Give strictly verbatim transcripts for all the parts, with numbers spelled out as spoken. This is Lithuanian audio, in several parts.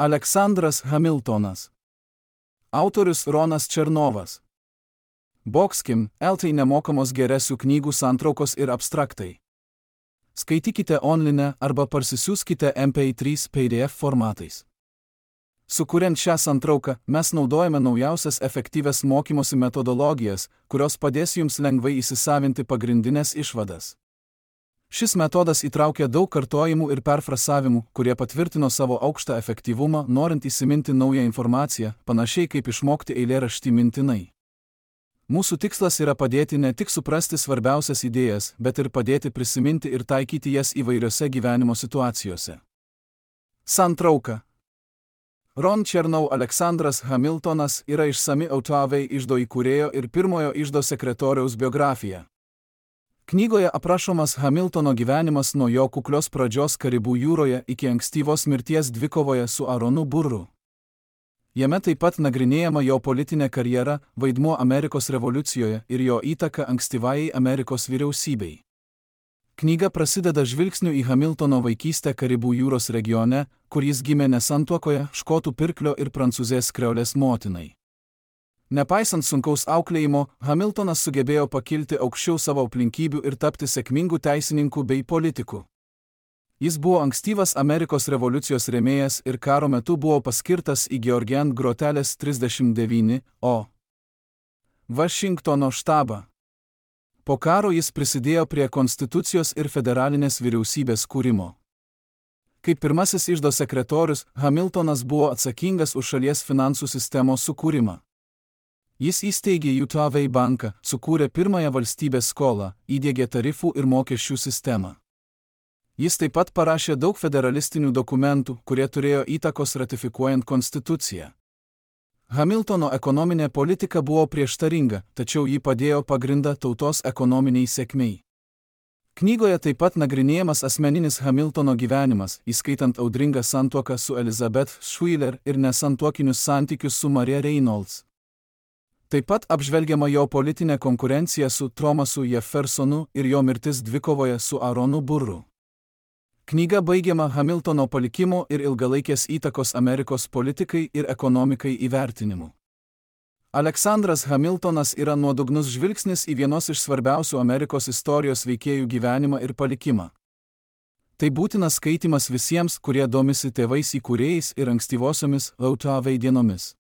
Aleksandras Hamiltonas. Autorius Ronas Černovas. Boxkim, L T nemokamos geresių knygų santraukos ir abstraktai. Skaitykite online arba parsisiųskite M P trys P D F formatais. Sukuriant šią santrauką, mes naudojame naujausias efektyvias mokymosi metodologijas, kurios padės jums lengvai įsisavinti pagrindinės išvadas. Šis metodas įtraukia daug kartojimų ir perfrasavimų, kurie patvirtino savo aukštą efektyvumą, norint įsiminti naują informaciją, panašiai kaip išmokti eilėraštį mintinai. Mūsų tikslas yra padėti ne tik suprasti svarbiausias idėjas, bet ir padėti prisiminti ir taikyti jas įvairiose gyvenimo situacijose. Santrauka. Ron Chernow Aleksandras Hamiltonas yra išsami Autoavei iždo įkūrėjo ir pirmojo iždo sekretoriaus biografija. Knygoje aprašomas Hamiltono gyvenimas nuo jo kuklios pradžios Karibų jūroje iki ankstyvos mirties dvikovoje su Aronu Burru. Jame taip pat nagrinėjama jo politinė karjera, vaidmuo Amerikos revoliucijoje ir jo įtaka ankstyvajai Amerikos vyriausybei. Knyga prasideda žvilgsniu į Hamiltono vaikystę Karibų jūros regione, kur jis gimė nesantuokoje škotų pirklio ir prancūzės kreolės motinai. Nepaisant sunkaus auklėjimo, Hamiltonas sugebėjo pakilti aukščiau savo aplinkybių ir tapti sėkmingu teisininku bei politiku. Jis buvo ankstyvas Amerikos revoliucijos rėmėjas ir karo metu buvo paskirtas į Georgian Grotelės trisdešimt devyni O. Vašingtono štabą. Po karo jis prisidėjo prie konstitucijos ir federalinės vyriausybės kūrimo. Kaip pirmasis iždo sekretorius, Hamiltonas buvo atsakingas už šalies finansų sistemos sukūrimą. Jis įsteigė Autoavei banką, sukūrė pirmąją valstybės skolą, įdiegė tarifų ir mokesčių sistemą. Jis taip pat parašė daug federalistinių dokumentų, kurie turėjo įtakos ratifikuojant konstituciją. Hamiltono ekonominė politika buvo prieštaringa, tačiau ji padėjo pagrindą tautos ekonominiai sėkmei. Knygoje taip pat nagrinėjamas asmeninis Hamiltono gyvenimas, įskaitant audringą santuoką su Elizabeth Schuyler ir nesantuokinius santykius su Maria Reynolds. Taip pat apžvelgiama jo politinė konkurencija su Thomasu Jeffersonu ir jo mirtis dvikovoje su Aronu Burru. Knyga baigiama Hamiltono palikimo ir ilgalaikės įtakos Amerikos politikai ir ekonomikai įvertinimu. Aleksandras Hamiltonas yra nuodugnus žvilgsnis į vienos iš svarbiausių Amerikos istorijos veikėjų gyvenimą ir palikimą. Tai būtinas skaitymas visiems, kurie domisi tėvais įkūrėjais ir ankstyvosiomis Autoavei dienomis.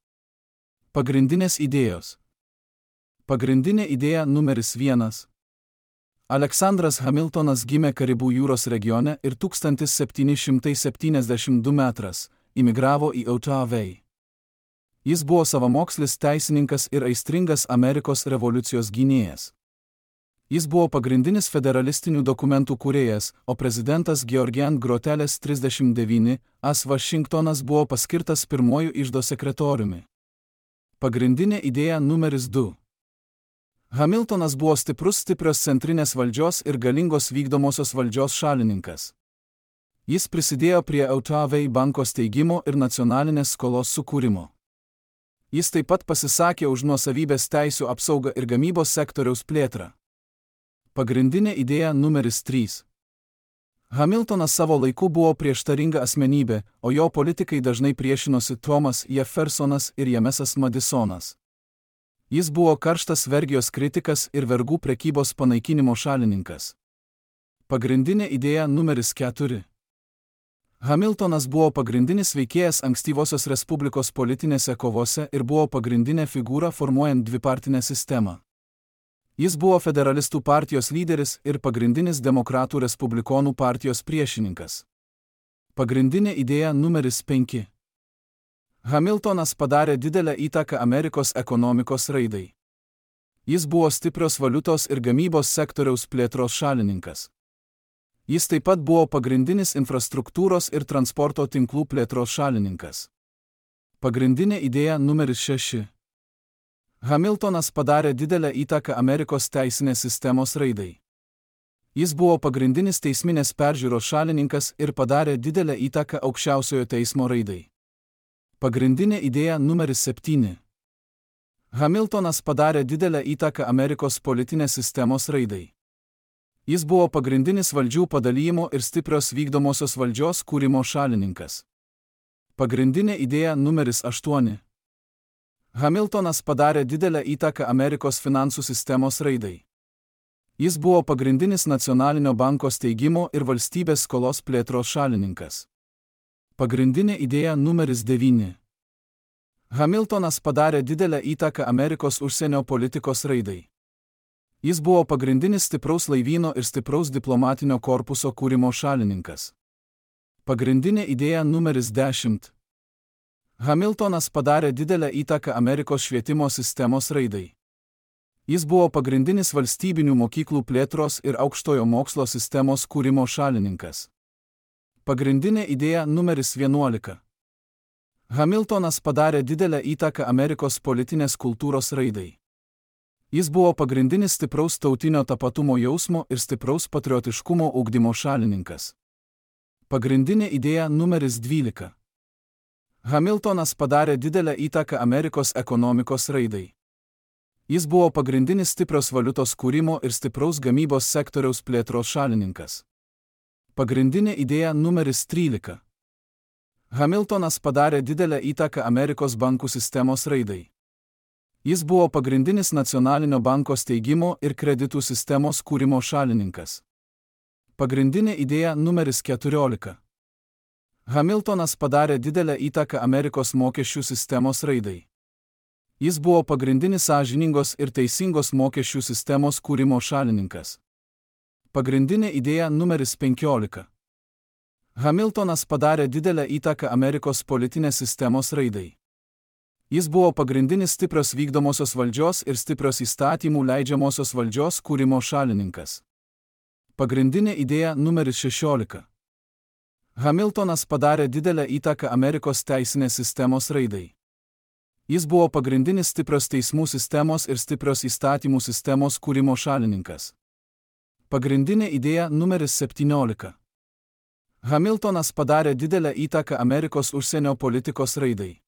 Pagrindinės idėjos. Pagrindinė idėja numeris vienas. Aleksandras Hamiltonas gimė Karibų jūros regione ir tūkstantis septyni šimtai septyniasdešimt du metras imigravo į Autoavei. Jis buvo savamokslis teisininkas ir aistringas Amerikos revoliucijos gynėjas. Jis buvo pagrindinis federalistinių dokumentų kūrėjas, o prezidentas Georgian Grotelės trisdešimt devyni A Vašingtonas buvo paskirtas pirmuoju iždo sekretoriumi. Pagrindinė idėja numeris du. Hamiltonas buvo stiprus stiprios centrinės valdžios ir galingos vykdomosios valdžios šalininkas. Jis prisidėjo prie Autoavei banko steigimo ir nacionalinės skolos sukūrimo. Jis taip pat pasisakė už nuosavybės teisių apsaugą ir gamybos sektoriaus plėtrą. Pagrindinė idėja numeris trys. Hamiltonas savo laiku buvo prieštaringa asmenybė, o jo politikai dažnai priešinosi Thomas Jeffersonas ir Jamesas Madisonas. Jis buvo karštas vergijos kritikas ir vergų prekybos panaikinimo šalininkas. Pagrindinė idėja numeris keturi. Hamiltonas buvo pagrindinis veikėjas ankstyvosios Respublikos politinėse kovose ir buvo pagrindinė figūra formuojant dvipartinę sistemą. Jis buvo federalistų partijos lyderis ir pagrindinis demokratų respublikonų partijos priešininkas. Pagrindinė idėja numeris penki. Hamiltonas padarė didelę įtaką Amerikos ekonomikos raidai. Jis buvo stiprios valiutos ir gamybos sektoriaus plėtros šalininkas. Jis taip pat buvo pagrindinis infrastruktūros ir transporto tinklų plėtros šalininkas. Pagrindinė idėja numeris šeši. Hamiltonas padarė didelę įtaką Amerikos teisinės sistemos raidai. Jis buvo pagrindinis teisminės peržiūros šalininkas ir padarė didelę įtaką aukščiausiojo teismo raidai. Pagrindinė idėja numeris septyni. Hamiltonas padarė didelę įtaką Amerikos politinės sistemos raidai. Jis buvo pagrindinis valdžių padalijimo ir stiprios vykdomosios valdžios kūrimo šalininkas. Pagrindinė idėja numeris aštuoni. Hamiltonas padarė didelę įtaką Amerikos finansų sistemos raidai. Jis buvo pagrindinis nacionalinio banko steigimo ir valstybės skolos plėtros šalininkas. Pagrindinė idėja numeris devyni. Hamiltonas padarė didelę įtaką Amerikos užsienio politikos raidai. Jis buvo pagrindinis stipraus laivyno ir stipraus diplomatinio korpuso kūrimo šalininkas. Pagrindinė idėja numeris dešimt. Hamiltonas padarė didelę įtaką Amerikos švietimo sistemos raidai. Jis buvo pagrindinis valstybinių mokyklų plėtros ir aukštojo mokslo sistemos kūrimo šalininkas. Pagrindinė idėja numeris vienuolika. Hamiltonas padarė didelę įtaką Amerikos politinės kultūros raidai. Jis buvo pagrindinis stipraus tautinio tapatumo jausmo ir stipraus patriotiškumo ugdymo šalininkas. Pagrindinė idėja numeris dvylika. Hamiltonas padarė didelę įtaką Amerikos ekonomikos raidai. Jis buvo pagrindinis stiprios valiutos kūrimo ir stipraus gamybos sektoriaus plėtros šalininkas. Pagrindinė idėja numeris trylika. Hamiltonas padarė didelę įtaką Amerikos bankų sistemos raidai. Jis buvo pagrindinis nacionalinio banko steigimo ir kreditų sistemos kūrimo šalininkas. Pagrindinė idėja numeris keturiolika. Hamiltonas padarė didelę įtaką Amerikos mokesčių sistemos raidai. Jis buvo pagrindinis sąžiningos ir teisingos mokesčių sistemos kūrimo šalininkas. Pagrindinė idėja numeris penkiolika. Hamiltonas padarė didelę įtaką Amerikos politinės sistemos raidai. Jis buvo pagrindinis stiprios vykdomosios valdžios ir stiprios įstatymų leidžiamosios valdžios kūrimo šalininkas. Pagrindinė idėja numeris šešiolika. Hamiltonas padarė didelę įtaką Amerikos teisinės sistemos raidai. Jis buvo pagrindinis stiprios teismų sistemos ir stiprios įstatymų sistemos kūrimo šalininkas. Pagrindinė idėja numeris septyniolika. Hamiltonas padarė didelę įtaką Amerikos užsienio politikos raidai.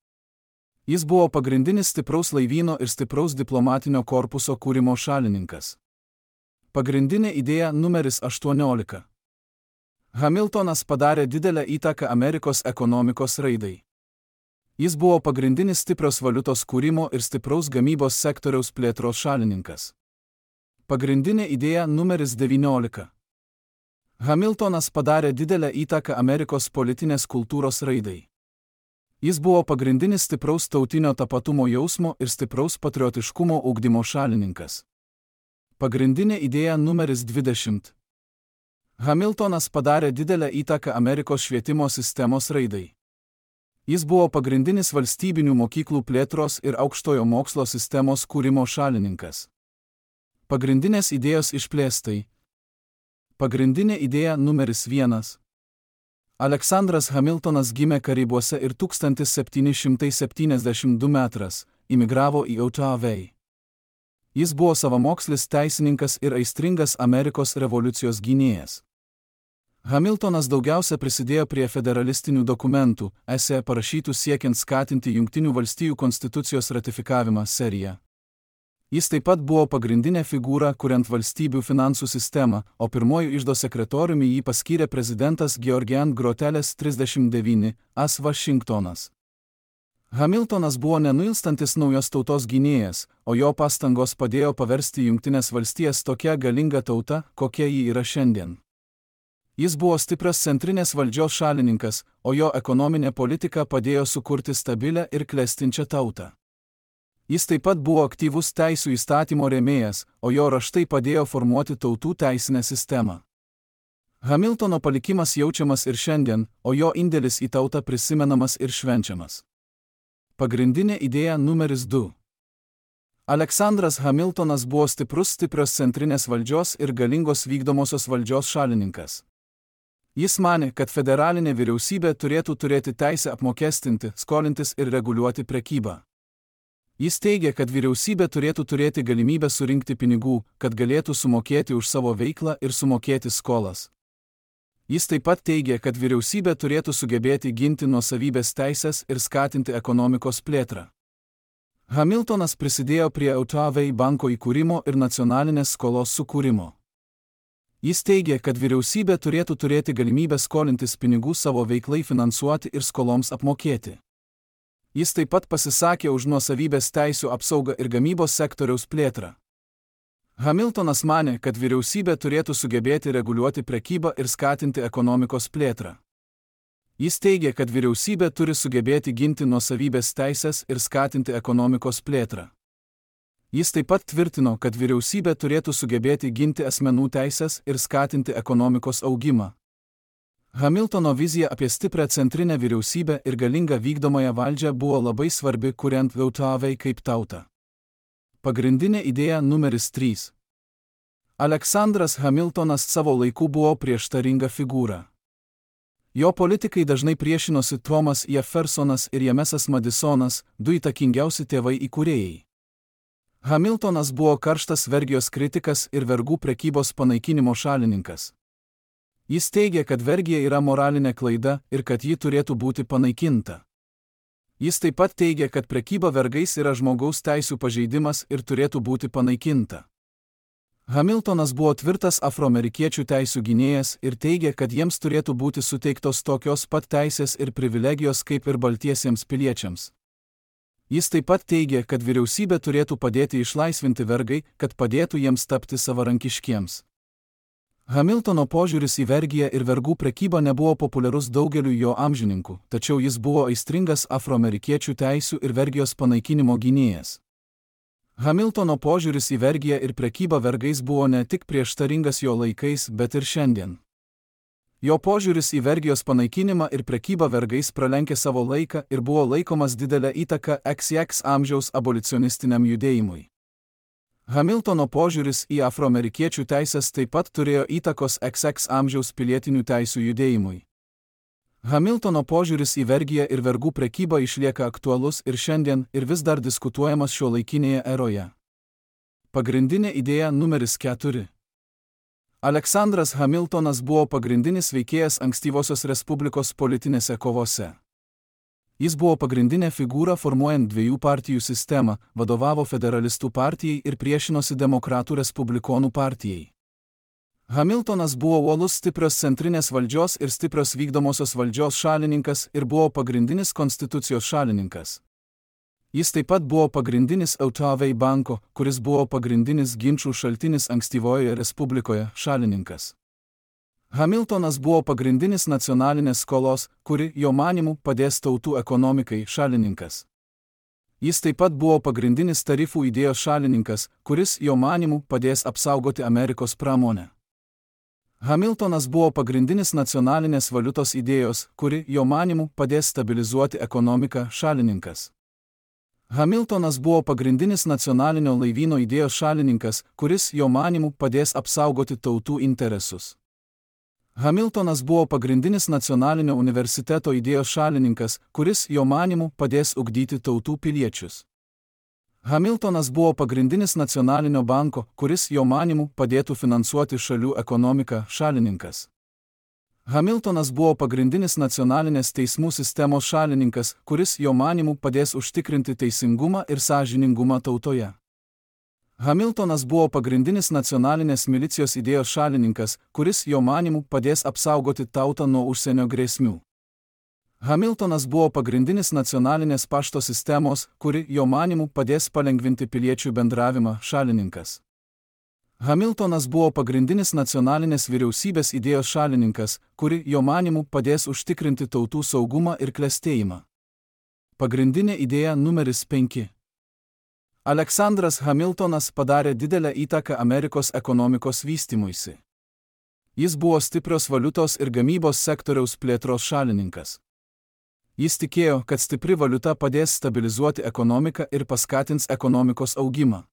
Jis buvo pagrindinis stipraus laivyno ir stipraus diplomatinio korpuso kūrimo šalininkas. Pagrindinė idėja numeris aštuoniolika. Hamiltonas padarė didelę įtaką Amerikos ekonomikos raidai. Jis buvo pagrindinis stiprios valiutos kūrimo ir stipraus gamybos sektoriaus plėtros šalininkas. Pagrindinė idėja numeris devyniolika. Hamiltonas padarė didelę įtaką Amerikos politinės kultūros raidai. Jis buvo pagrindinis stipraus tautinio tapatumo jausmo ir stipraus patriotiškumo ugdymo šalininkas. Pagrindinė idėja numeris dvidešimt. Hamiltonas padarė didelę įtaką Amerikos švietimo sistemos raidai. Jis buvo pagrindinis valstybinių mokyklų plėtros ir aukštojo mokslo sistemos kūrimo šalininkas. Pagrindinės idėjos išplėstai. Pagrindinė idėja numeris vienas. Aleksandras Hamiltonas gimė Karibuose ir tūkstantis septyni šimtai septyniasdešimt du metras, imigravo į Otavą. Jis buvo savamokslis teisininkas ir aistringas Amerikos revoliucijos gynėjas. Hamiltonas daugiausia prisidėjo prie federalistinių dokumentų, esė parašytų siekiant skatinti Jungtinių valstijų konstitucijos ratifikavimą seriją. Jis taip pat buvo pagrindinė figūra, kuriant valstybių finansų sistemą, o pirmoju iždo sekretoriumi jį paskyrė prezidentas Georgian Groteles trisdešimt devyni, as Vašingtonas. Hamiltonas buvo nenuilstantis naujos tautos gynėjas, o jo pastangos padėjo paversti Jungtines valstijas tokia galinga tauta, kokia ji yra šiandien. Jis buvo stiprios centrinės valdžios šalininkas, o jo ekonominė politika padėjo sukurti stabilę ir klestinčią tautą. Jis taip pat buvo aktyvus teisų įstatymo rėmėjas, o jo raštai padėjo formuoti tautų teisinę sistemą. Hamiltono palikimas jaučiamas ir šiandien, o jo indėlis į tautą prisimenamas ir švenčiamas. Pagrindinė idėja numeris du. Aleksandras Hamiltonas buvo stiprus stiprios centrinės valdžios ir galingos vykdomosios valdžios šalininkas. Jis manė, kad federalinė vyriausybė turėtų turėti teisę apmokestinti, skolintis ir reguliuoti prekybą. Jis teigė, kad vyriausybė turėtų turėti galimybę surinkti pinigų, kad galėtų sumokėti už savo veiklą ir sumokėti skolas. Jis taip pat teigė, kad vyriausybė turėtų sugebėti ginti nuosavybės teisės ir skatinti ekonomikos plėtrą. Hamiltonas prisidėjo prie Otavą banko įkūrimo ir nacionalinės skolos sukūrimo. Jis teigė, kad vyriausybė turėtų turėti galimybę skolintis pinigų savo veiklai finansuoti ir skoloms apmokėti. Jis taip pat pasisakė už nuosavybės teisių apsaugą ir gamybos sektoriaus plėtrą. Hamiltonas manė, kad vyriausybė turėtų sugebėti reguliuoti prekybą ir skatinti ekonomikos plėtrą. Jis teigė, kad vyriausybė turi sugebėti ginti nuosavybės teisės ir skatinti ekonomikos plėtrą. Jis taip pat tvirtino, kad vyriausybė turėtų sugebėti ginti asmenų teisės ir skatinti ekonomikos augimą. Hamiltono vizija apie stiprią centrinę vyriausybę ir galingą vykdomąją valdžią buvo labai svarbi, kuriant Jautavai kaip tautą. Pagrindinė idėja numeris trys. Aleksandras Hamiltonas savo laiku buvo prieštaringa figūra. Jo politikai dažnai priešinosi Thomas Jeffersonas ir Jamesas Madisonas, du įtakingiausi tėvai įkūrėjai. Hamiltonas buvo karštas vergijos kritikas ir vergų prekybos panaikinimo šalininkas. Jis teigė, kad vergija yra moralinė klaida ir kad ji turėtų būti panaikinta. Jis taip pat teigė, kad prekyba vergais yra žmogaus teisių pažeidimas ir turėtų būti panaikinta. Hamiltonas buvo tvirtas afroamerikiečių teisių gynėjas ir teigė, kad jiems turėtų būti suteiktos tokios pat teisės ir privilegijos kaip ir baltiesiems piliečiams. Jis taip pat teigė, kad vyriausybė turėtų padėti išlaisvinti vergai, kad padėtų jiems tapti savarankiškiems. Hamiltono požiūris į vergiją ir vergų prekybą nebuvo populiarus daugeliu jo amžininkų, tačiau jis buvo aistringas afroamerikiečių teisių ir vergijos panaikinimo gynėjas. Hamiltono požiūris į vergiją ir prekybą vergais buvo ne tik prieštaringas jo laikais, bet ir šiandien. Jo požiūris į vergijos panaikinimą ir prekybą vergais pralenkė savo laiką ir buvo laikomas didelę įtaką iks iks amžiaus abolicionistiniam judėjimui. Hamiltono požiūris į afroamerikiečių teisės taip pat turėjo įtakos iks iks amžiaus pilietinių teisių judėjimui. Hamiltono požiūris į vergiją ir vergų prekybą išlieka aktualus ir šiandien ir vis dar diskutuojamas šiuolaikinėje eroje. Pagrindinė idėja numeris keturi. Aleksandras Hamiltonas buvo pagrindinis veikėjas ankstyvosios Respublikos politinėse kovose. Jis buvo pagrindinė figūra formuojant dviejų partijų sistemą, vadovavo Federalistų partijai ir priešinosi Demokratų Respublikonų partijai. Hamiltonas buvo uolus stiprios centrinės valdžios ir stiprios vykdomosios valdžios šalininkas ir buvo pagrindinis konstitucijos šalininkas. Jis taip pat buvo pagrindinis Jautavai banko, kuris buvo pagrindinis ginčų šaltinis ankstyvojoje Respublikoje, šalininkas. Hamiltonas buvo pagrindinis nacionalinės skolos, kuri, jo manymu, padės tautų ekonomikai, šalininkas. Jis taip pat buvo pagrindinis tarifų idėjos šalininkas, kuris, jo manymu, padės apsaugoti Amerikos pramonę. Hamiltonas buvo pagrindinis nacionalinės valiutos idėjos, kuri, jo manymu, padės stabilizuoti ekonomiką, šalininkas. Hamiltonas buvo pagrindinis nacionalinio laivyno idėjos šalininkas, kuris, jo manymu, padės apsaugoti tautų interesus. Hamiltonas buvo pagrindinis nacionalinio universiteto idėjos šalininkas, kuris, jo manymu, padės ugdyti tautų piliečius. Hamiltonas buvo pagrindinis nacionalinio banko, kuris, jo manymu, padėtų finansuoti šalių ekonomiką, šalininkas. Hamiltonas buvo pagrindinis nacionalinės teismų sistemos šalininkas, kuris, jo manymu, padės užtikrinti teisingumą ir sąžiningumą tautoje. Hamiltonas buvo pagrindinis nacionalinės milicijos idėjos šalininkas, kuris, jo manymu, padės apsaugoti tautą nuo užsienio grėsmių. Hamiltonas buvo pagrindinis nacionalinės pašto sistemos, kuri, jo manymu, padės palengvinti piliečių bendravimą, šalininkas. Hamiltonas buvo pagrindinis nacionalinės vyriausybės idėjos šalininkas, kuri, jo manymu, padės užtikrinti tautų saugumą ir klestėjimą. Pagrindinė idėja numeris penki. Aleksandras Hamiltonas padarė didelę įtaką Amerikos ekonomikos vystymuisi. Jis buvo stiprios valiutos ir gamybos sektoriaus plėtros šalininkas. Jis tikėjo, kad stipri valiuta padės stabilizuoti ekonomiką ir paskatins ekonomikos augimą.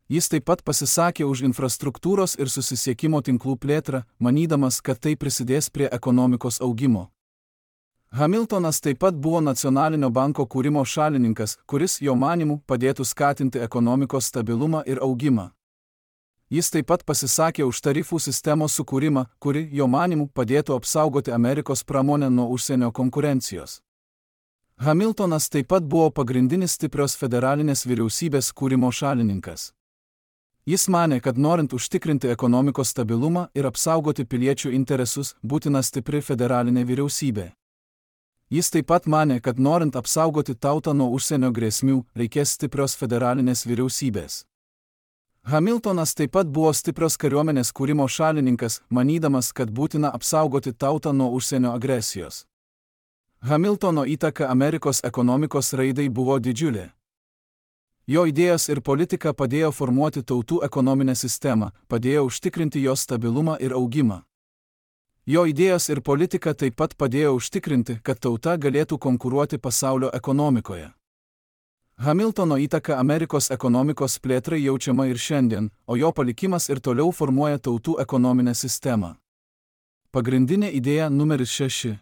Jis taip pat pasisakė už infrastruktūros ir susisiekimo tinklų plėtrą, manydamas, kad tai prisidės prie ekonomikos augimo. Hamiltonas taip pat buvo nacionalinio banko kūrimo šalininkas, kuris, jo manymu, padėtų skatinti ekonomikos stabilumą ir augimą. Jis taip pat pasisakė už tarifų sistemos sukūrimą, kuri, jo manymu, padėtų apsaugoti Amerikos pramonę nuo užsienio konkurencijos. Hamiltonas taip pat buvo pagrindinis stiprios federalinės vyriausybės kūrimo šalininkas. Jis manė, kad norint užtikrinti ekonomikos stabilumą ir apsaugoti piliečių interesus, būtina stipri federalinė vyriausybė. Jis taip pat manė, kad norint apsaugoti tautą nuo užsienio grėsmių, reikės stiprios federalinės vyriausybės. Hamiltonas taip pat buvo stiprios kariuomenės kūrimo šalininkas, manydamas, kad būtina apsaugoti tautą nuo užsienio agresijos. Hamiltono įtaka Amerikos ekonomikos raidai buvo didžiulė. Jo idėjos ir politika padėjo formuoti tautų ekonominę sistemą, padėjo užtikrinti jos stabilumą ir augimą. Jo idėjos ir politika taip pat padėjo užtikrinti, kad tauta galėtų konkuruoti pasaulio ekonomikoje. Hamiltono įtaka Amerikos ekonomikos plėtrai jaučiama ir šiandien, o jo palikimas ir toliau formuoja tautų ekonominę sistemą. Pagrindinė idėja numeris šeši.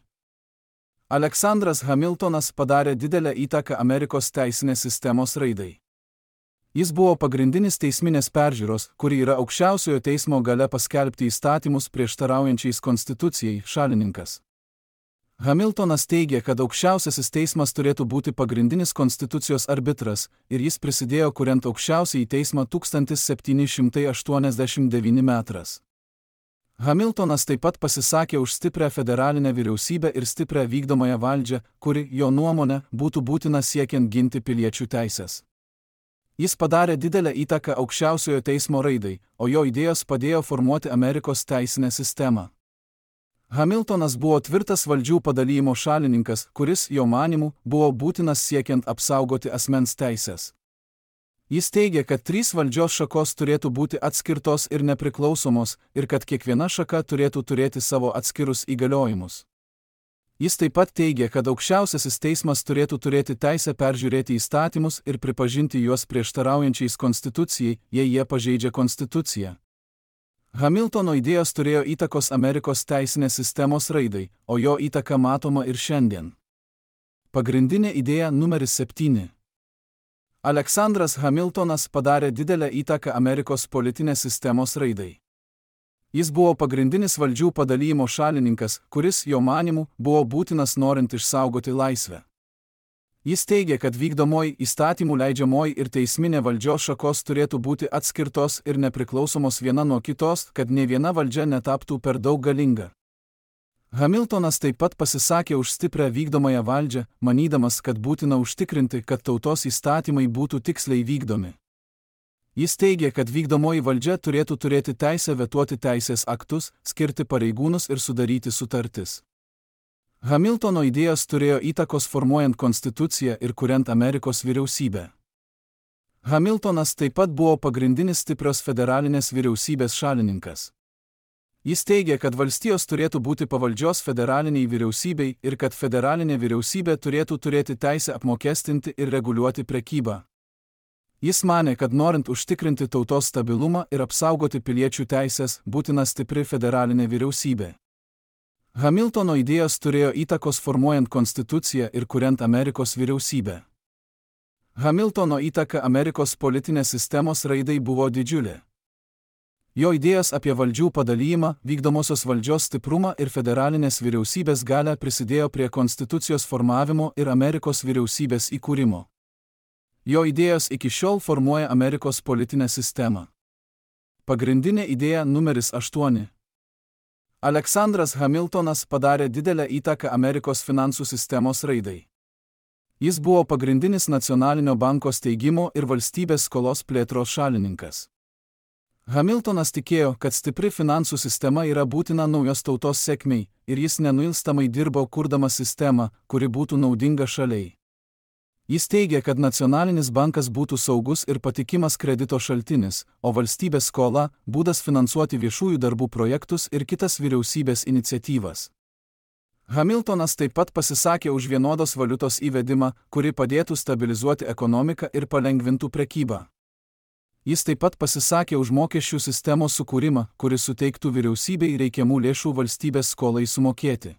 Aleksandras Hamiltonas padarė didelę įtaką Amerikos teisinės sistemos raidai. Jis buvo pagrindinis teisminės peržiūros, kuri yra aukščiausiojo teismo galia paskelbti įstatymus prieštaraujančiais konstitucijai, šalininkas. Hamiltonas teigė, kad aukščiausiasis teismas turėtų būti pagrindinis konstitucijos arbitras, ir jis prisidėjo kuriant aukščiausiąjį teismą tūkstantis septyni šimtai aštuoniasdešimt devyni metais. Hamiltonas taip pat pasisakė už stiprią federalinę vyriausybę ir stiprią vykdomąją valdžią, kuri, jo nuomone, būtų būtina siekiant ginti piliečių teisės. Jis padarė didelę įtaką aukščiausiojo teismo raidai, o jo idėjos padėjo formuoti Amerikos teisinę sistemą. Hamiltonas buvo tvirtas valdžių padalijimo šalininkas, kuris, jo manymu, buvo būtinas siekiant apsaugoti asmens teisės. Jis teigė, kad trys valdžios šakos turėtų būti atskirtos ir nepriklausomos, ir kad kiekviena šaka turėtų turėti savo atskirus įgaliojimus. Jis taip pat teigė, kad aukščiausiasis teismas turėtų turėti teisę peržiūrėti įstatymus ir pripažinti juos prieštaraujančiais konstitucijai, jei jie pažeidžia konstituciją. Hamiltono idėjos turėjo įtakos Amerikos teisinės sistemos raidai, o jo įtaka matoma ir šiandien. Pagrindinė idėja numeris septyni. Aleksandras Hamiltonas padarė didelę įtaką Amerikos politinės sistemos raidai. Jis buvo pagrindinis valdžių padalijimo šalininkas, kuris, jo manymu, buvo būtinas norint išsaugoti laisvę. Jis teigė, kad vykdomoji, įstatymų leidžiamoji ir teisminė valdžios šakos turėtų būti atskirtos ir nepriklausomos viena nuo kitos, kad nė viena valdžia netaptų per daug galinga. Hamiltonas taip pat pasisakė už stiprią vykdomąją valdžią, manydamas, kad būtina užtikrinti, kad tautos įstatymai būtų tiksliai vykdomi. Jis teigė, kad vykdomoji valdžia turėtų turėti teisę vetuoti teisės aktus, skirti pareigūnus ir sudaryti sutartis. Hamiltono idėjos turėjo įtakos formuojant konstituciją ir kuriant Amerikos vyriausybę. Hamiltonas taip pat buvo pagrindinis stiprios federalinės vyriausybės šalininkas. Jis teigė, kad valstijos turėtų būti pavaldžios federaliniai vyriausybei ir kad federalinė vyriausybė turėtų turėti teisę apmokestinti ir reguliuoti prekybą. Jis manė, kad norint užtikrinti tautos stabilumą ir apsaugoti piliečių teisės, būtina stipri federalinė vyriausybė. Hamiltono idėjos turėjo įtakos formuojant konstituciją ir kuriant Amerikos vyriausybę. Hamiltono įtaka Amerikos politinės sistemos raidai buvo didžiulė. Jo idėjos apie valdžių padalijimą, vykdomosios valdžios stiprumą ir federalinės vyriausybės galią prisidėjo prie konstitucijos formavimo ir Amerikos vyriausybės įkūrimo. Jo idėjos iki šiol formuoja Amerikos politinę sistemą. Pagrindinė idėja numeris aštuoni. Aleksandras Hamiltonas padarė didelę įtaką Amerikos finansų sistemos raidai. Jis buvo pagrindinis nacionalinio banko steigimo ir valstybės skolos plėtros šalininkas. Hamiltonas tikėjo, kad stipri finansų sistema yra būtina naujos tautos sėkmei, ir jis nenuilstamai dirbo kurdamas sistemą, kuri būtų naudinga šaliai. Jis teigė, kad nacionalinis bankas būtų saugus ir patikimas kredito šaltinis, o valstybės skola – būdas finansuoti viešųjų darbų projektus ir kitas vyriausybės iniciatyvas. Hamiltonas taip pat pasisakė už vienodos valiutos įvedimą, kuri padėtų stabilizuoti ekonomiką ir palengvintų prekybą. Jis taip pat pasisakė už mokesčių sistemos sukūrimą, kuris suteiktų vyriausybei reikiamų lėšų valstybės skolai sumokėti.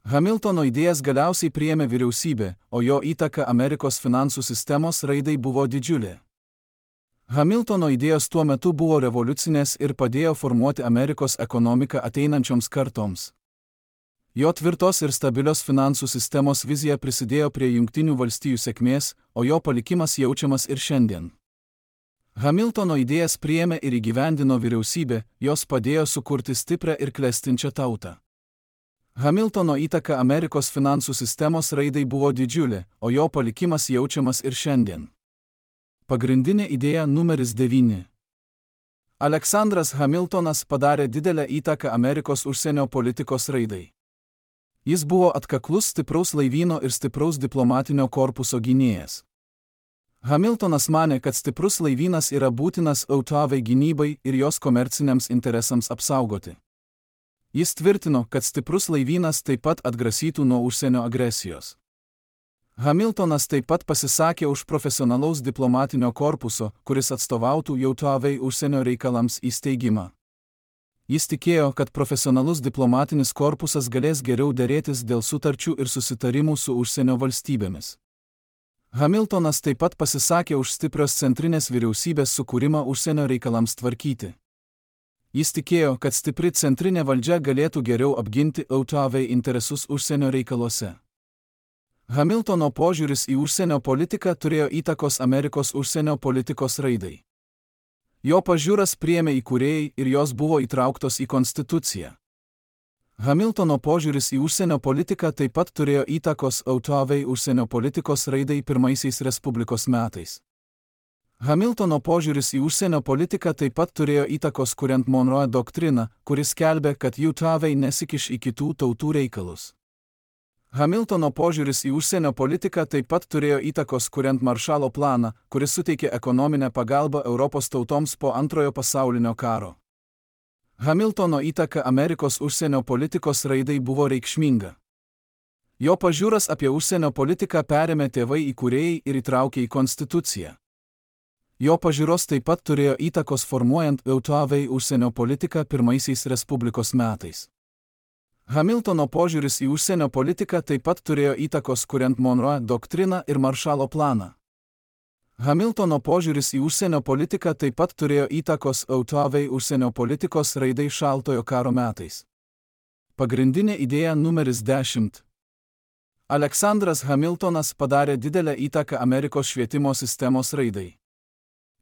Hamiltono idėjas galiausiai priėmė vyriausybė, o jo įtaka Amerikos finansų sistemos raidai buvo didžiulė. Hamiltono idėjos tuo metu buvo revoliucinės ir padėjo formuoti Amerikos ekonomiką ateinančioms kartoms. Jo tvirtos ir stabilios finansų sistemos vizija prisidėjo prie Jungtinių valstijų sėkmės, o jo palikimas jaučiamas ir šiandien. Hamiltono idėjas priėmė ir įgyvendino vyriausybė, jos padėjo sukurti stiprią ir klestinčią tautą. Hamiltono įtaka Amerikos finansų sistemos raidai buvo didžiulė, o jo palikimas jaučiamas ir šiandien. Pagrindinė idėja numeris devyni. Aleksandras Hamiltonas padarė didelę įtaką Amerikos užsienio politikos raidai. Jis buvo atkaklus stipraus laivyno ir stipraus diplomatinio korpuso gynėjas. Hamiltonas manė, kad stiprus laivynas yra būtinas jav gynybai ir jos komerciniams interesams apsaugoti. Jis tvirtino, kad stiprus laivynas taip pat atgrasytų nuo užsienio agresijos. Hamiltonas taip pat pasisakė už profesionalaus diplomatinio korpuso, kuris atstovautų jav užsienio reikalams įsteigimą. Jis tikėjo, kad profesionalus diplomatinis korpusas galės geriau derėtis dėl sutarčių ir susitarimų su užsienio valstybėmis. Hamiltonas taip pat pasisakė už stiprios centrinės vyriausybės sukūrimą užsienio reikalams tvarkyti. Jis tikėjo, kad stipri centrinė valdžia galėtų geriau apginti jav interesus užsienio reikaluose. Hamiltono požiūris į užsienio politiką turėjo įtakos Amerikos užsienio politikos raidai. Jo pažiūras priėmė įkūrėjai ir jos buvo įtrauktos į konstituciją. Hamiltono požiūris į užsienio politiką taip pat turėjo įtakos jav užsienio politikos raidai pirmaisiais Respublikos metais. Hamiltono požiūris į užsienio politiką taip pat turėjo įtakos kuriant Monroe doktriną, kuris skelbė, kad jav nesikiš į kitų tautų reikalus. Hamiltono požiūris į užsienio politiką taip pat turėjo įtakos kuriant Maršalo planą, kuris suteikė ekonominę pagalbą Europos tautoms po Antrojo pasaulinio karo. Hamiltono įtaka Amerikos užsienio politikos raidai buvo reikšminga. Jo pažiūras apie užsienio politiką perėmė tėvai įkūrėjai ir įtraukė į konstituciją. Jo pažiūros taip pat turėjo įtakos formuojant jav užsienio politiką pirmaisiais Respublikos metais. Hamiltono požiūris į užsienio politiką taip pat turėjo įtakos kuriant Monroe doktriną ir Maršalo planą. Hamiltono požiūris į užsienio politiką taip pat turėjo įtakos jav užsienio politikos raidai Šaltojo karo metais. Pagrindinė idėja numeris dešimt. Aleksandras Hamiltonas padarė didelę įtaką Amerikos švietimo sistemos raidai.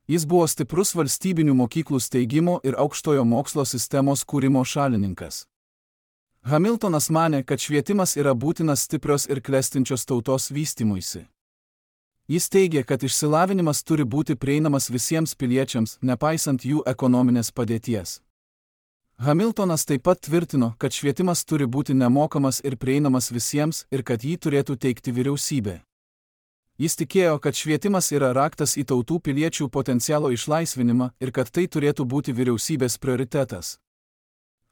Jis buvo stiprus valstybinių mokyklų steigimo ir aukštojo mokslo sistemos kūrimo šalininkas. Hamiltonas manė, kad švietimas yra būtinas stiprios ir klestinčios tautos vystymuisi. Jis teigė, kad išsilavinimas turi būti prieinamas visiems piliečiams, nepaisant jų ekonominės padėties. Hamiltonas taip pat tvirtino, kad švietimas turi būti nemokamas ir prieinamas visiems ir kad jį turėtų teikti vyriausybė. Jis tikėjo, kad švietimas yra raktas į tautų piliečių potencialo išlaisvinimą ir kad tai turėtų būti vyriausybės prioritetas.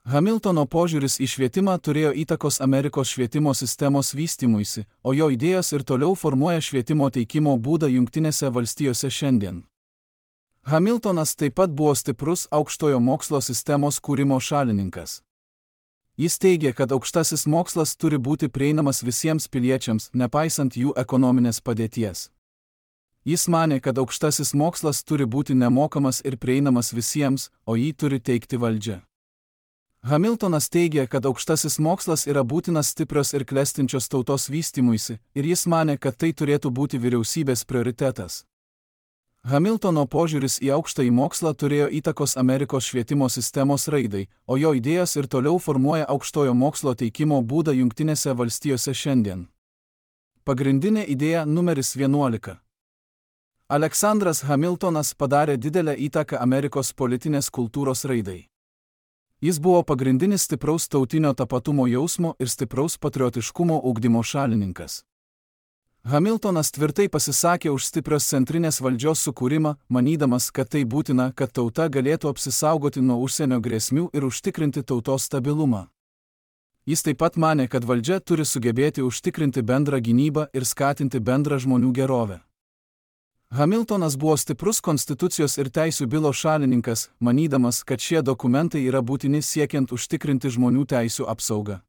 Hamiltono požiūris į švietimą turėjo įtakos Amerikos švietimo sistemos vystymuisi, o jo idėjos ir toliau formuoja švietimo teikimo būdą Jungtinėse valstijose šiandien. Hamiltonas taip pat buvo stiprus aukštojo mokslo sistemos kūrimo šalininkas. Jis teigė, kad aukštasis mokslas turi būti prieinamas visiems piliečiams, nepaisant jų ekonominės padėties. Jis manė, kad aukštasis mokslas turi būti nemokamas ir prieinamas visiems, o jį turi teikti valdžia. Hamiltonas teigė, kad aukštasis mokslas yra būtinas stiprios ir klestinčios tautos vystymuisi, ir jis manė, kad tai turėtų būti vyriausybės prioritetas. Hamiltono požiūris į aukštąjį mokslą turėjo įtakos Amerikos švietimo sistemos raidai, o jo idėjos ir toliau formuoja aukštojo mokslo teikimo būdą Jungtinėse valstijose šiandien. Pagrindinė idėja numeris vienuolika. Aleksandras Hamiltonas padarė didelę įtaką Amerikos politinės kultūros raidai. Jis buvo pagrindinis stipraus tautinio tapatumo jausmo ir stipraus patriotiškumo ugdymo šalininkas. Hamiltonas tvirtai pasisakė už stiprios centrinės valdžios sukūrimą, manydamas, kad tai būtina, kad tauta galėtų apsisaugoti nuo užsienio grėsmių ir užtikrinti tautos stabilumą. Jis taip pat manė, kad valdžia turi sugebėti užtikrinti bendrą gynybą ir skatinti bendrą žmonių gerovę. Hamiltonas buvo stiprus konstitucijos ir teisių bylo šalininkas, manydamas, kad šie dokumentai yra būtini siekiant užtikrinti žmonių teisių apsaugą.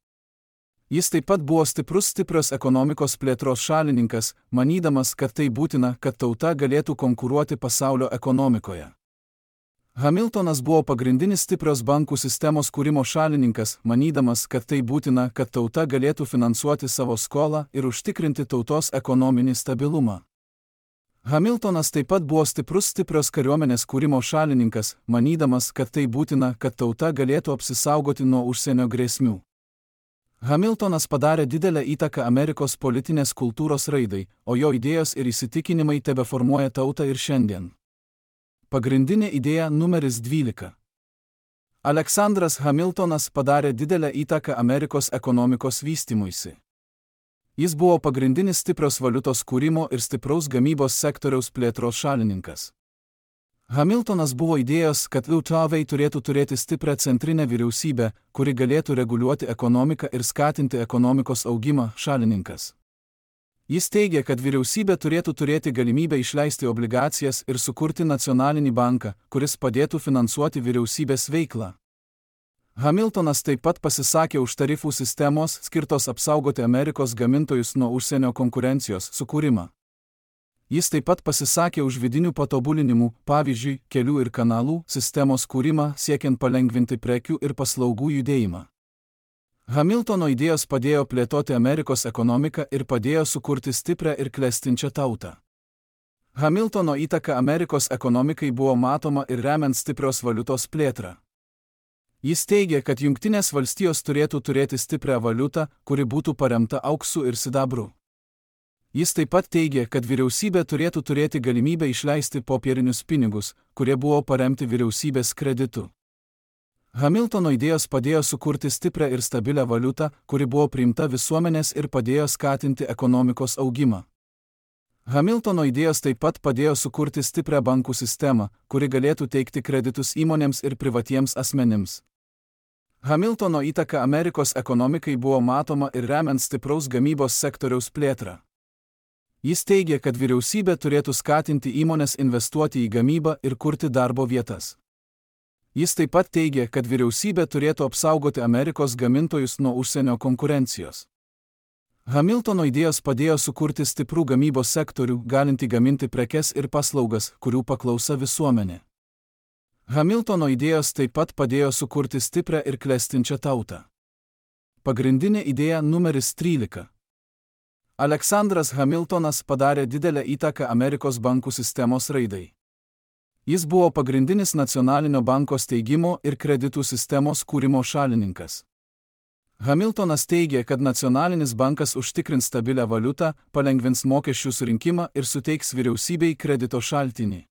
Jis taip pat buvo stiprus stiprios ekonomikos plėtros šalininkas, manydamas, kad tai būtina, kad tauta galėtų konkuruoti pasaulio ekonomikoje. Hamiltonas buvo pagrindinis stiprios bankų sistemos kūrimo šalininkas, manydamas, kad tai būtina, kad tauta galėtų finansuoti savo skolą ir užtikrinti tautos ekonominį stabilumą. Hamiltonas taip pat buvo stiprus stiprios kariuomenės kūrimo šalininkas, manydamas, kad tai būtina, kad tauta galėtų apsisaugoti nuo užsienio grėsmių. Hamiltonas padarė didelę įtaką Amerikos politinės kultūros raidai, o jo idėjos ir įsitikinimai tebeformuoja tautą ir šiandien. Pagrindinė idėja numeris dvylika. Aleksandras Hamiltonas padarė didelę įtaką Amerikos ekonomikos vystymuisi. Jis buvo pagrindinis stiprios valiutos kūrimo ir stipraus gamybos sektoriaus plėtros šalininkas. Hamiltonas buvo idėjos, kad U T V turėtų turėti stiprią centrinę vyriausybę, kuri galėtų reguliuoti ekonomiką ir skatinti ekonomikos augimą, šalininkas. Jis teigė, kad vyriausybė turėtų turėti galimybę išleisti obligacijas ir sukurti nacionalinį banką, kuris padėtų finansuoti vyriausybės veiklą. Hamiltonas taip pat pasisakė už tarifų sistemos, skirtos apsaugoti Amerikos gamintojus nuo užsienio konkurencijos, sukūrimą. Jis taip pat pasisakė už vidinių patobulinimų, pavyzdžiui, kelių ir kanalų sistemos kūrimą, siekiant palengvinti prekių ir paslaugų judėjimą. Hamiltono idėjos padėjo plėtoti Amerikos ekonomiką ir padėjo sukurti stiprią ir klestinčią tautą. Hamiltono įtaka Amerikos ekonomikai buvo matoma ir remiant stiprios valiutos plėtrą. Jis teigė, kad Jungtinės valstijos turėtų turėti stiprią valiutą, kuri būtų paremta auksu ir sidabru. Jis taip pat teigė, kad vyriausybė turėtų turėti galimybę išleisti popierinius pinigus, kurie buvo paremti vyriausybės kreditu. Hamiltono idėjos padėjo sukurti stiprią ir stabilią valiutą, kuri buvo priimta visuomenės ir padėjo skatinti ekonomikos augimą. Hamiltono idėjos taip pat padėjo sukurti stiprią bankų sistemą, kuri galėtų teikti kreditus įmonėms ir privatiems asmenims. Hamiltono įtaka Amerikos ekonomikai buvo matoma ir remiant stipraus gamybos sektoriaus plėtrą. Jis teigė, kad vyriausybė turėtų skatinti įmonės investuoti į gamybą ir kurti darbo vietas. Jis taip pat teigė, kad vyriausybė turėtų apsaugoti Amerikos gamintojus nuo užsienio konkurencijos. Hamiltono idėjos padėjo sukurti stiprų gamybos sektorių, galintį gaminti prekes ir paslaugas, kurių paklausa visuomenė. Hamiltono idėjos taip pat padėjo sukurti stiprią ir klestinčią tautą. Pagrindinė idėja numeris trylika. Aleksandras Hamiltonas padarė didelę įtaką Amerikos bankų sistemos raidai. Jis buvo pagrindinis nacionalinio banko steigimo ir kreditų sistemos kūrimo šalininkas. Hamiltonas teigė, kad nacionalinis bankas užtikrins stabilią valiutą, palengvins mokesčių surinkimą ir suteiks vyriausybei kredito šaltinį.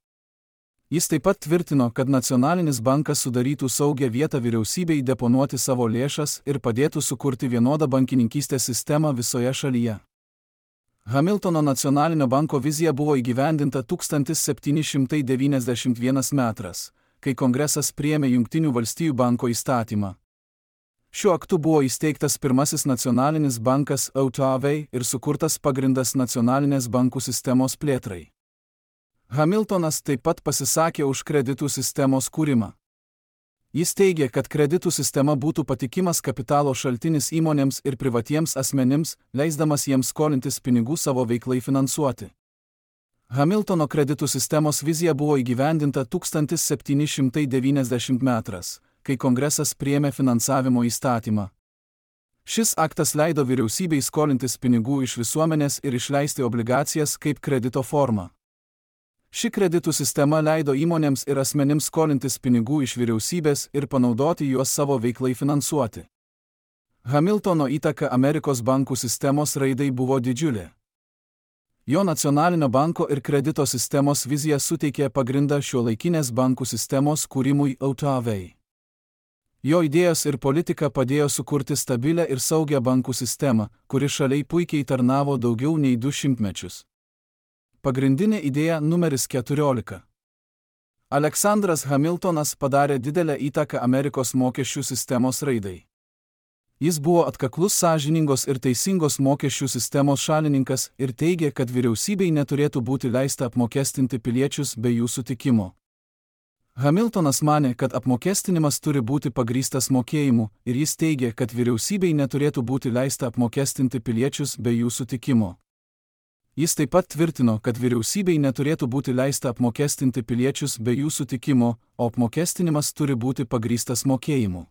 Jis taip pat tvirtino, kad nacionalinis bankas sudarytų saugią vietą vyriausybei deponuoti savo lėšas ir padėtų sukurti vienodą bankininkystės sistemą visoje šalyje. Hamiltono nacionalinio banko vizija buvo įgyvendinta tūkstantis septyni šimtai devyniasdešimt vienas metras, kai Kongresas priėmė Jungtinių valstijų banko įstatymą. Šiuo aktu buvo įsteigtas pirmasis nacionalinis bankas U T V ir sukurtas pagrindas nacionalinės bankų sistemos plėtrai. Hamiltonas taip pat pasisakė už kreditų sistemos kūrimą. Jis teigė, kad kreditų sistema būtų patikimas kapitalo šaltinis įmonėms ir privatiems asmenims, leisdamas jiems skolintis pinigų savo veiklai finansuoti. Hamiltono kreditų sistemos vizija buvo įgyvendinta tūkstantis septyni šimtai devyniasdešimt metras, kai Kongresas priėmė finansavimo įstatymą. Šis aktas leido vyriausybei skolintis pinigų iš visuomenės ir išleisti obligacijas kaip kredito formą. Ši kreditų sistema leido įmonėms ir asmenims skolintis pinigų iš vyriausybės ir panaudoti juos savo veiklai finansuoti. Hamiltono įtaka Amerikos bankų sistemos raidai buvo didžiulė. Jo nacionalinio banko ir kredito sistemos vizija suteikė pagrindą šiuolaikinės bankų sistemos kūrimui U T V. Jo idėjos ir politika padėjo sukurti stabilę ir saugią bankų sistemą, kuri šaliai puikiai tarnavo daugiau nei du šimtmečius. Pagrindinė idėja numeris keturiolika. Aleksandras Hamiltonas padarė didelę įtaką Amerikos mokesčių sistemos raidai. Jis buvo atkaklus sąžiningos ir teisingos mokesčių sistemos šalininkas ir teigė, kad vyriausybei neturėtų būti leista apmokestinti piliečius be jų sutikimo. Hamiltonas manė, kad apmokestinimas turi būti pagrįstas mokėjimu ir jis teigė, kad vyriausybei neturėtų būti leista apmokestinti piliečius be jų sutikimo. Jis taip pat tvirtino, kad vyriausybei neturėtų būti leista apmokestinti piliečius be jų sutikimo, o apmokestinimas turi būti pagrįstas mokėjimu.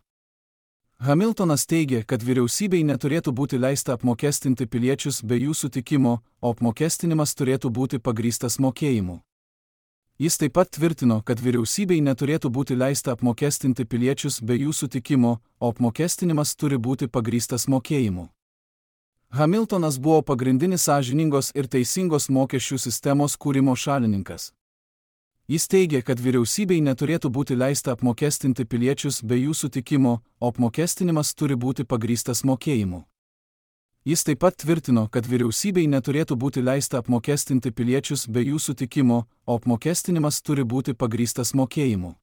Hamiltonas teigė, kad vyriausybei neturėtų būti leista apmokestinti piliečius be jų sutikimo, o apmokestinimas turėtų būti pagrįstas mokėjimu. Jis taip pat tvirtino, kad vyriausybei neturėtų būti leista apmokestinti piliečius be jų sutikimo, o apmokestinimas turi būti pagrįstas mokėjimu. Hamiltonas buvo pagrindinis sąžiningos ir teisingos mokesčių sistemos kūrimo šalininkas. Jis teigė, kad vyriausybei neturėtų būti leista apmokestinti piliečius be jų sutikimo, o apmokestinimas turi būti pagrįstas mokėjimu. Jis taip pat tvirtino, kad vyriausybei neturėtų būti leista apmokestinti piliečius be jų sutikimo, o apmokestinimas turi būti pagrįstas mokėjimu.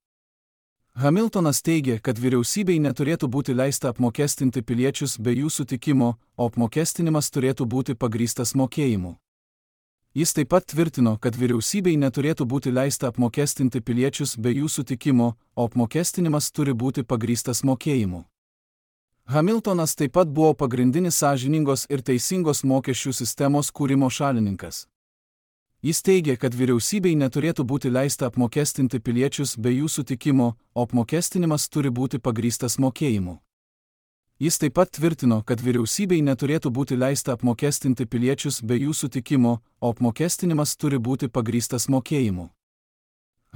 Hamiltonas teigė, kad vyriausybei neturėtų būti leista apmokestinti piliečius be jų sutikimo, o apmokestinimas turėtų būti pagrįstas mokėjimu. Jis taip pat tvirtino, kad vyriausybei neturėtų būti leista apmokestinti piliečius be jų sutikimo, o apmokestinimas turi būti pagrįstas mokėjimu. Hamiltonas taip pat buvo pagrindinis sąžiningos ir teisingos mokesčių sistemos kūrimo šalininkas. Jis teigė, kad vyriausybei neturėtų būti leista apmokestinti piliečius be jų sutikimo, o apmokestinimas turi būti pagrįstas mokėjimu. Jis taip pat tvirtino, kad vyriausybei neturėtų būti leista apmokestinti piliečius be jų sutikimo, o apmokestinimas turi būti pagrįstas mokėjimu.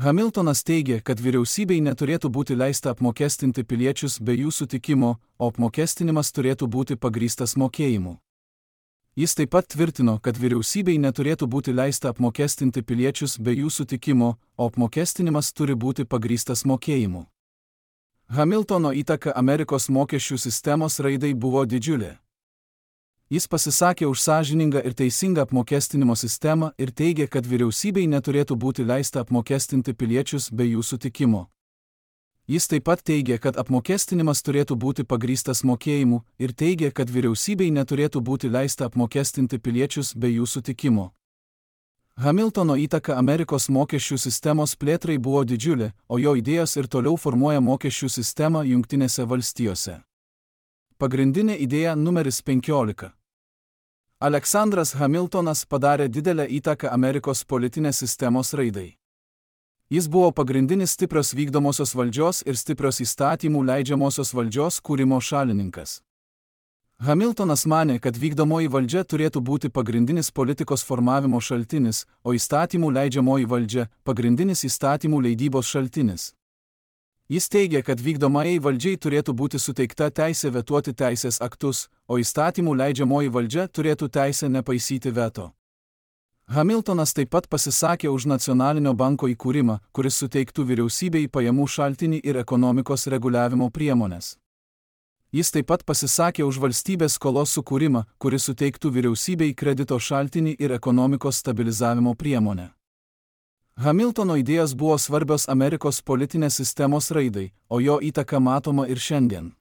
Hamiltonas teigė, kad vyriausybei neturėtų būti leista apmokestinti piliečius be jų sutikimo, o apmokestinimas turėtų būti pagrįstas mokėjimu. Jis taip pat tvirtino, kad vyriausybei neturėtų būti leista apmokestinti piliečius be jų sutikimo, o apmokestinimas turi būti pagrįstas mokėjimu. Hamiltono įtaka Amerikos mokesčių sistemos raidai buvo didžiulė. Jis pasisakė už sąžiningą ir teisingą apmokestinimo sistemą ir teigė, kad vyriausybei neturėtų būti leista apmokestinti piliečius be jų sutikimo. Jis taip pat teigė, kad apmokestinimas turėtų būti pagrįstas mokėjimu ir teigė, kad vyriausybei neturėtų būti leista apmokestinti piliečius be jų sutikimo. Hamiltono įtaka Amerikos mokesčių sistemos plėtrai buvo didžiulė, o jo idėjos ir toliau formuoja mokesčių sistemą Jungtinėse valstijose. Pagrindinė idėja numeris penkiolika. Aleksandras Hamiltonas padarė didelę įtaką Amerikos politinės sistemos raidai. Jis buvo pagrindinis stiprios vykdomosios valdžios ir stiprios įstatymų leidžiamosios valdžios kūrimo šalininkas. Hamiltonas manė, kad vykdomoji valdžia turėtų būti pagrindinis politikos formavimo šaltinis, o įstatymų leidžiamoji valdžia – pagrindinis įstatymų leidybos šaltinis. Jis teigė, kad vykdomajai valdžiai turėtų būti suteikta teisė vetuoti teisės aktus, o įstatymų leidžiamoji valdžia turėtų teisę nepaisyti veto. Hamiltonas taip pat pasisakė už nacionalinio banko įkūrimą, kuris suteiktų vyriausybei pajamų šaltinį ir ekonomikos reguliavimo priemonės. Jis taip pat pasisakė už valstybės skolos sukūrimą, kuris suteiktų vyriausybei kredito šaltinį ir ekonomikos stabilizavimo priemonę. Hamiltono idėjos buvo svarbios Amerikos politinės sistemos raidai, o jo įtaka matoma ir šiandien.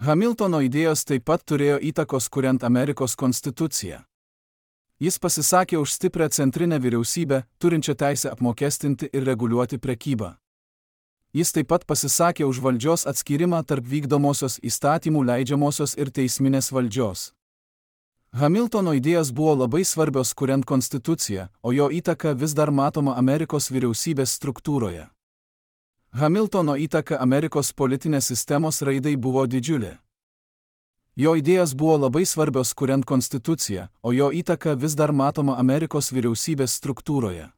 Hamiltono idėjos taip pat turėjo įtakos kuriant Amerikos konstituciją. Jis pasisakė už stiprią centrinę vyriausybę, turinčią teisę apmokestinti ir reguliuoti prekybą. Jis taip pat pasisakė už valdžios atskyrimą tarp vykdomosios įstatymų leidžiamosios ir teisminės valdžios. Hamiltono idėjos buvo labai svarbios kuriant konstituciją, o jo įtaka vis dar matoma Amerikos vyriausybės struktūroje. Hamiltono įtaka Amerikos politinės sistemos raidai buvo didžiulė. Jo idėjos buvo labai svarbios kuriant konstituciją, o jo įtaka vis dar matoma Amerikos vyriausybės struktūroje.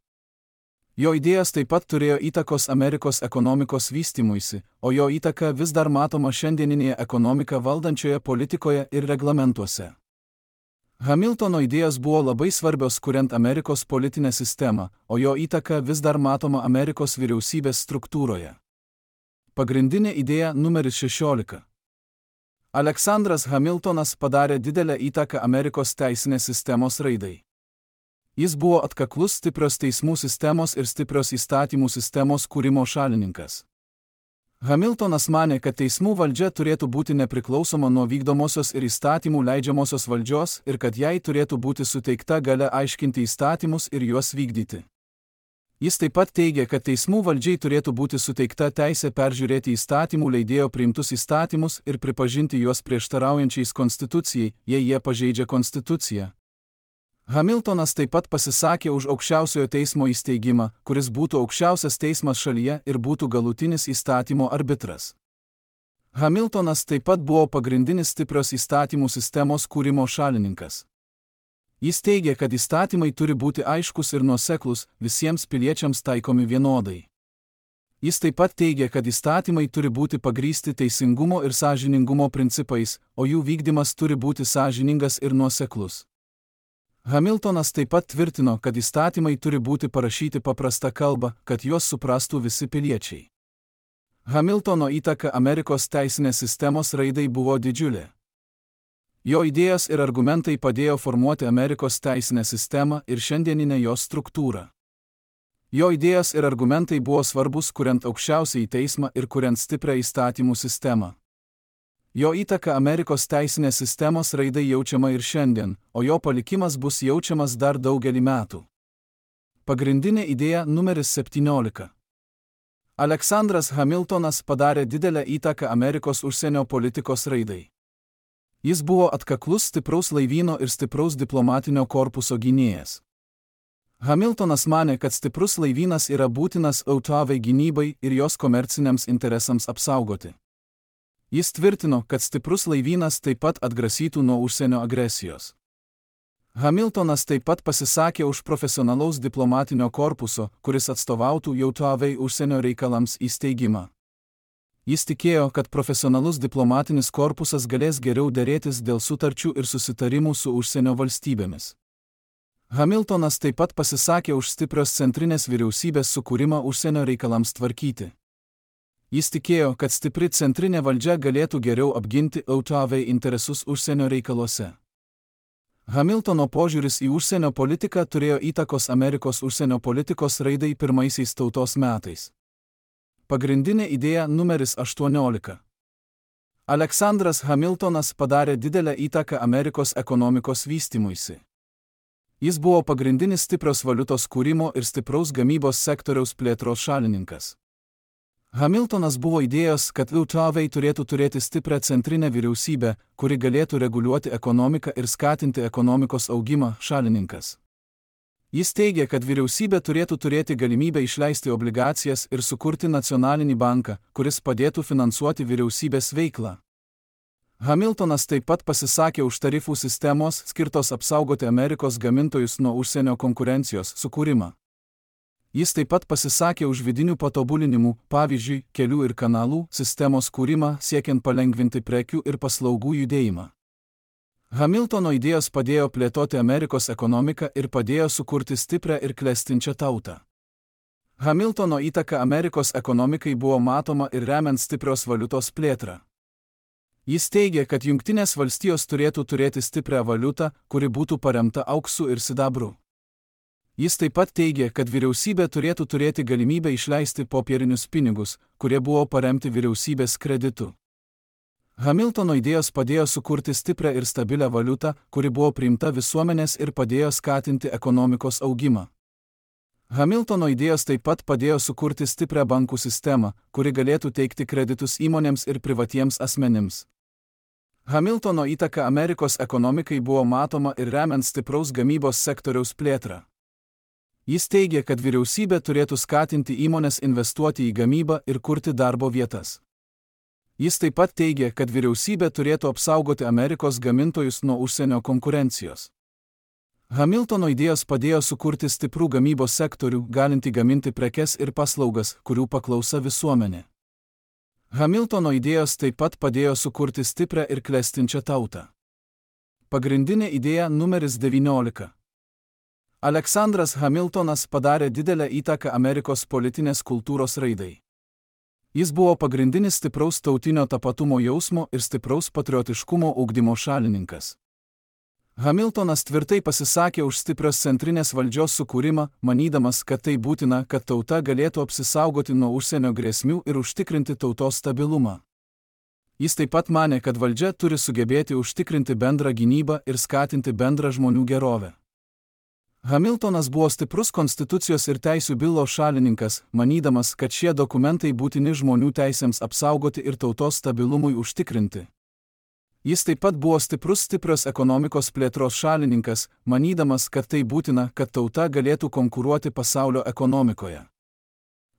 Jo idėjos taip pat turėjo įtakos Amerikos ekonomikos vystymuisi, o jo įtaka vis dar matoma šiandieninėje ekonomiką valdančioje politikoje ir reglamentuose. Hamiltono idėjos buvo labai svarbios kuriant Amerikos politinę sistemą, o jo įtaka vis dar matoma Amerikos vyriausybės struktūroje. Pagrindinė idėja numeris šešiolika. Aleksandras Hamiltonas padarė didelę įtaką Amerikos teisinės sistemos raidai. Jis buvo atkaklus stiprios teismų sistemos ir stiprios įstatymų sistemos kūrimo šalininkas. Hamiltonas manė, kad teismų valdžia turėtų būti nepriklausoma nuo vykdomosios ir įstatymų leidžiamosios valdžios ir kad jai turėtų būti suteikta galia aiškinti įstatymus ir juos vykdyti. Jis taip pat teigė, kad teismų valdžiai turėtų būti suteikta teisė peržiūrėti įstatymų leidėjo priimtus įstatymus ir pripažinti juos prieštaraujančiais konstitucijai, jei jie pažeidžia konstituciją. Hamiltonas taip pat pasisakė už aukščiausiojo teismo įsteigimą, kuris būtų aukščiausias teismas šalyje ir būtų galutinis įstatymo arbitras. Hamiltonas taip pat buvo pagrindinis stiprios įstatymų sistemos kūrimo šalininkas. Jis teigė, kad įstatymai turi būti aiškus ir nuoseklūs, visiems piliečiams taikomi vienodai. Jis taip pat teigė, kad įstatymai turi būti pagrįsti teisingumo ir sąžiningumo principais, o jų vykdymas turi būti sąžiningas ir nuoseklus. Hamiltonas taip pat tvirtino, kad įstatymai turi būti parašyti paprasta kalba, kad juos suprastų visi piliečiai. Hamiltono įtaka Amerikos teisinės sistemos raidai buvo didžiulė. Jo idėjos ir argumentai padėjo formuoti Amerikos teisinę sistemą ir šiandieninę jos struktūrą. Jo idėjos ir argumentai buvo svarbus kuriant aukščiausiąjį teismą ir kuriant stiprią įstatymų sistemą. Jo įtaka Amerikos teisinės sistemos raidai jaučiama ir šiandien, o jo palikimas bus jaučiamas dar daugelį metų. Pagrindinė idėja numeris septyniolika. Aleksandras Hamiltonas padarė didelę įtaką Amerikos užsienio politikos raidai. Jis buvo atkaklus stipraus laivyno ir stipraus diplomatinio korpuso gynėjas. Hamiltonas manė, kad stiprus laivynas yra būtinas jav gynybai ir jos komerciniams interesams apsaugoti. Jis tvirtino, kad stiprus laivynas taip pat atgrasytų nuo užsienio agresijos. Hamiltonas taip pat pasisakė už profesionalaus diplomatinio korpuso, kuris atstovautų jav užsienio reikalams įsteigimą. Jis tikėjo, kad profesionalus diplomatinis korpusas galės geriau derėtis dėl sutarčių ir susitarimų su užsienio valstybėmis. Hamiltonas taip pat pasisakė už stiprios centrinės vyriausybės sukūrimą užsienio reikalams tvarkyti. Jis tikėjo, kad stipri centrinė valdžia galėtų geriau apginti jav interesus užsienio reikaluose. Hamiltono požiūris į užsienio politiką turėjo įtakos Amerikos užsienio politikos raidai pirmaisiais tautos metais. Pagrindinė idėja numeris aštuoniolika. Aleksandras Hamiltonas padarė didelę įtaką Amerikos ekonomikos vystymuisi. Jis buvo pagrindinis stiprios valiutos kūrimo ir stipraus gamybos sektoriaus plėtros šalininkas. Hamiltonas buvo idėjos, kad jav turėtų turėti stiprią centrinę vyriausybę, kuri galėtų reguliuoti ekonomiką ir skatinti ekonomikos augimą šalininkas. Jis teigė, kad vyriausybė turėtų turėti galimybę išleisti obligacijas ir sukurti nacionalinį banką, kuris padėtų finansuoti vyriausybės veiklą. Hamiltonas taip pat pasisakė už tarifų sistemos, skirtos apsaugoti Amerikos gamintojus nuo užsienio konkurencijos sukūrimą. Jis taip pat pasisakė už vidinių patobulinimų, pavyzdžiui, kelių ir kanalų sistemos kūrimą, siekiant palengvinti prekių ir paslaugų judėjimą. Hamiltono idėjos padėjo plėtoti Amerikos ekonomiką ir padėjo sukurti stiprią ir klestinčią tautą. Hamiltono įtaka Amerikos ekonomikai buvo matoma ir remiant stiprios valiutos plėtrą. Jis teigė, kad Jungtinės valstijos turėtų turėti stiprią valiutą, kuri būtų paremta auksu ir sidabru. Jis taip pat teigė, kad vyriausybė turėtų turėti galimybę išleisti popierinius pinigus, kurie buvo paremti vyriausybės kreditu. Hamiltono idėjos padėjo sukurti stiprią ir stabilią valiutą, kuri buvo priimta visuomenės ir padėjo skatinti ekonomikos augimą. Hamiltono idėjos taip pat padėjo sukurti stiprią bankų sistemą, kuri galėtų teikti kreditus įmonėms ir privatiems asmenims. Hamiltono įtaka Amerikos ekonomikai buvo matoma ir remiant stipraus gamybos sektoriaus plėtrą. Jis teigė, kad vyriausybė turėtų skatinti įmonės investuoti į gamybą ir kurti darbo vietas. Jis taip pat teigė, kad vyriausybė turėtų apsaugoti Amerikos gamintojus nuo užsienio konkurencijos. Hamiltono idėjos padėjo sukurti stiprų gamybos sektorių, galintį gaminti prekes ir paslaugas, kurių paklausa visuomenė. Hamiltono idėjos taip pat padėjo sukurti stiprią ir klestinčią tautą. Pagrindinė idėja numeris devyniolika. Aleksandras Hamiltonas padarė didelę įtaką Amerikos politinės kultūros raidai. Jis buvo pagrindinis stipraus tautinio tapatumo jausmo ir stipraus patriotiškumo ugdymo šalininkas. Hamiltonas tvirtai pasisakė už stiprios centrinės valdžios sukūrimą, manydamas, kad tai būtina, kad tauta galėtų apsisaugoti nuo užsienio grėsmių ir užtikrinti tautos stabilumą. Jis taip pat manė, kad valdžia turi sugebėti užtikrinti bendrą gynybą ir skatinti bendrą žmonių gerovę. Hamiltonas buvo stiprus konstitucijos ir teisių bylo šalininkas, manydamas, kad šie dokumentai būtini žmonių teisėms apsaugoti ir tautos stabilumui užtikrinti. Jis taip pat buvo stiprus stiprios ekonomikos plėtros šalininkas, manydamas, kad tai būtina, kad tauta galėtų konkuruoti pasaulio ekonomikoje.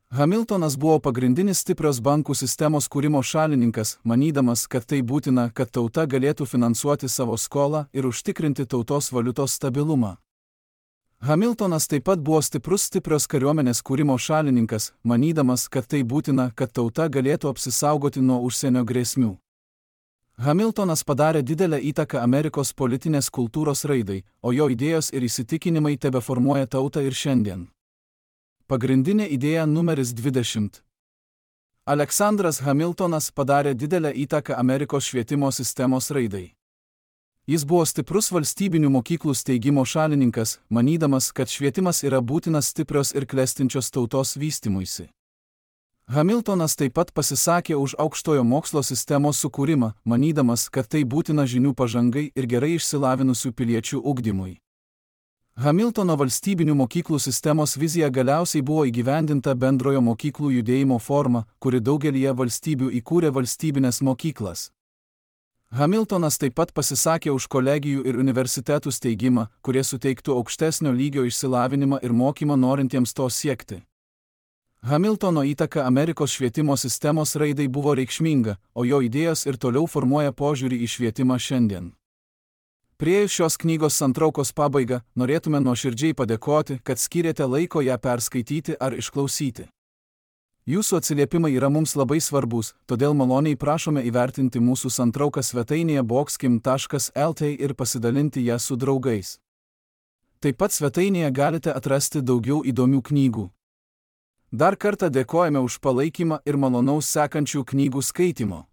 Hamiltonas buvo pagrindinis stiprios bankų sistemos kūrimo šalininkas, manydamas, kad tai būtina, kad tauta galėtų finansuoti savo skolą ir užtikrinti tautos valiutos stabilumą. Hamiltonas taip pat buvo stiprus stiprios kariuomenės kūrimo šalininkas, manydamas, kad tai būtina, kad tauta galėtų apsisaugoti nuo užsienio grėsmių. Hamiltonas padarė didelę įtaką Amerikos politinės kultūros raidai, o jo idėjos ir įsitikinimai tebeformuoja tautą ir šiandien. Pagrindinė idėja numeris dvidešimt. Aleksandras Hamiltonas padarė didelę įtaką Amerikos švietimo sistemos raidai. Jis buvo stiprus valstybinių mokyklų steigimo šalininkas, manydamas, kad švietimas yra būtinas stiprios ir klestinčios tautos vystymuisi. Hamiltonas taip pat pasisakė už aukštojo mokslo sistemos sukūrimą, manydamas, kad tai būtina žinių pažangai ir gerai išsilavinusių piliečių ugdymui. Hamiltono valstybinių mokyklų sistemos vizija galiausiai buvo įgyvendinta bendrojo mokyklų judėjimo forma, kuri daugelyje valstybių įkūrė valstybinės mokyklas. Hamiltonas taip pat pasisakė už kolegijų ir universitetų steigimą, kurie suteiktų aukštesnio lygio išsilavinimą ir mokymą norintiems to siekti. Hamiltono įtaka Amerikos švietimo sistemos raidai buvo reikšminga, o jo idėjos ir toliau formuoja požiūrį į švietimą šiandien. Priėjus šios knygos santraukos pabaigą, norėtume nuoširdžiai padėkoti, kad skyrėte laiko ją perskaityti ar išklausyti. Jūsų atsiliepimai yra mums labai svarbus, todėl maloniai prašome įvertinti mūsų santrauką svetainėje boxkim taškas el t ir pasidalinti ją su draugais. Taip pat svetainėje galite atrasti daugiau įdomių knygų. Dar kartą dėkojame už palaikymą ir malonaus sekančių knygų skaitimo.